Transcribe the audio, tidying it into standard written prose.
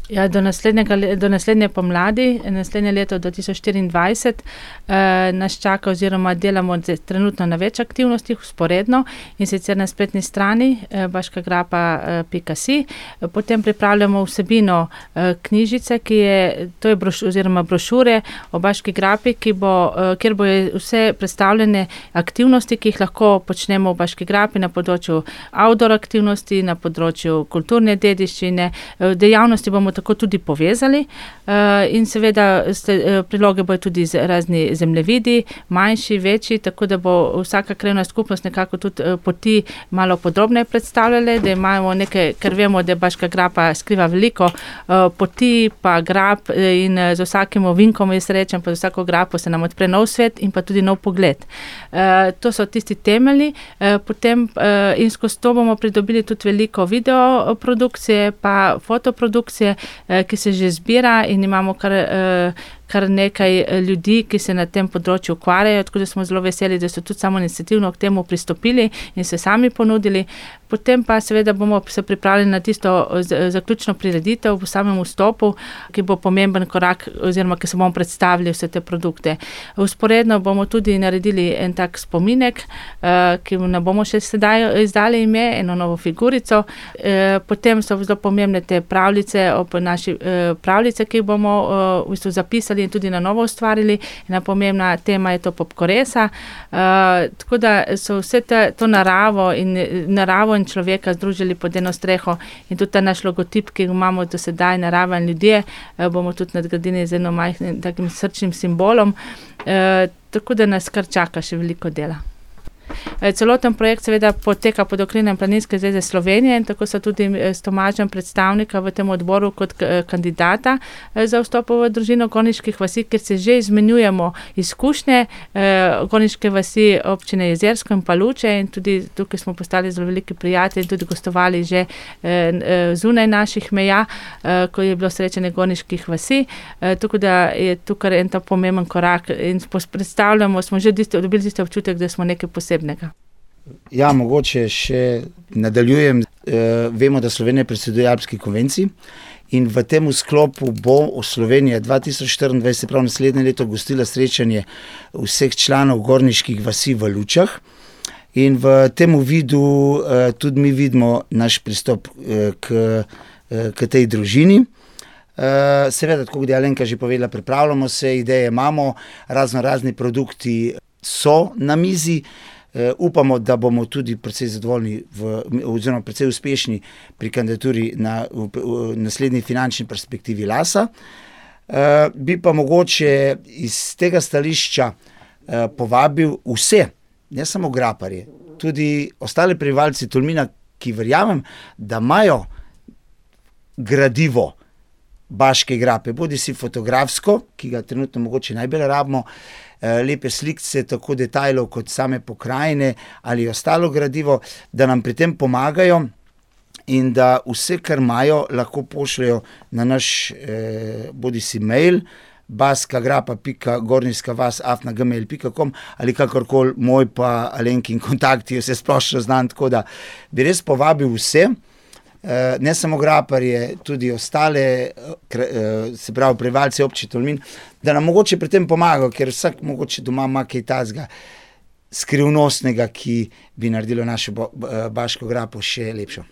Ja, do naslednje pomladi, naslednje leto 2024, nas čaka oziroma delamo trenutno na več aktivnostih vzporedno, in sicer na spletni strani baškagrapa.si. Potem pripravljamo vsebino knjižice, to je oziroma brošure o Baški grapi, kjer bojo vse predstavljene aktivnosti, ki jih lahko počnemo v Baški grapi na področju outdoor aktivnosti, na področju kulturne dediščine, dejavnosti bomo tako tudi povezali, in seveda priloge bojo tudi razni zemljevidi, manjši, večji, tako da bo vsaka krajevna skupnost nekako tudi poti malo podrobneje predstavljale, da imamo nekaj, ker vemo, da Baška grapa skriva veliko poti pa grap, in z vsakim ovinkom, jaz rečem, pa z vsako grapo se nam odpre nov svet in pa tudi nov pogled. To so tisti temelji, potem in skozi to bomo pridobili tudi veliko videoprodukcije pa fotoprodukcije, ki se že zbira, in imamo kar nekaj ljudi, ki se na tem področju ukvarjajo, tako da smo zelo veseli, da so tudi samoiniciativno k temu pristopili in se sami ponudili. Potem pa seveda bomo se pripravili na tisto zaključno prireditev v samem vstopu, ki bo pomemben korak, oziroma ki se bomo predstavili vse te produkte. Vzporedno bomo tudi naredili en tak spominek, ki ne bomo še sedaj izdali ime, eno novo figurico. Potem so zelo pomembne te pravljice, naši pravljice, ki jih bomo v bistvu zapisali in tudi na novo ustvarili. Ena pomembna tema je to popkoresa. Tako da so vse to naravo in človeka združili pod eno streho, in tudi ta naš logotip, ki imamo do sedaj, narava in ljudje, bomo tudi nadgradili z eno majhnim takim srčnim simbolom. Tako da nas kar čaka še veliko dela. Celoten projekt seveda poteka pod okriljem Planinske zveze Slovenije, in tako so tudi s Tomažem predstavnika v tem odboru kot kandidata za vstop v družino Gorniških vasi, kjer se že izmenjujemo izkušnje Gorniške vasi občine Jezersko in Paluče, in tudi tukaj smo postali zelo veliki prijatelji, tudi gostovali že zunaj naših meja, ko je bilo srečanje Gorniških vasi, tako da je tukaj en ta pomemben korak in predstavljamo, smo že dobili tisti občutek, da smo nekaj posebnega. Ja, mogoče še nadaljujem. Vemo, da Slovenija predseduje Alpski konvenciji, in v tem sklopu bo Slovenija 2024, se pravi naslednje leto, gostila srečanje vseh članov Gorniških vasi v Lučah, in v tem vidu tudi mi vidimo naš pristop k tej družini. Seveda, tako kot je Alenka že povedala, pripravljamo se, ideje imamo, razni produkti so na mizi. Upamo, da bomo tudi precej zadovoljni oziroma precej uspešni pri kandidaturi na naslednji finančni perspektivi Lasa. Bi pa mogoče iz tega stališča povabil vse, ne samo graparje, tudi ostale prebivalci Tolmina, ki verjamem, da imajo gradivo Baške grape, bodisi fotografsko, ki ga trenutno mogoče najbolj rabimo, lepe slikce, tako detajlov kot same pokrajine ali ostalo gradivo, da nam pri tem pomagajo, in da vse, kar imajo, lahko pošljajo na naš bodisi mail baskagrapa.gorniskavas@gmail.com ali kakorkoli, moj pa Alenkin kontakti, vse splošno znam, tako da bi res povabil vse, ne samo graparje, tudi ostale, se pravi prebivalci občine Tolmin, da nam mogoče pri tem pomagajo, ker vsak mogoče doma ima kaj takega skrivnostnega, ki bi naredilo našo Baško grapo še lepšo.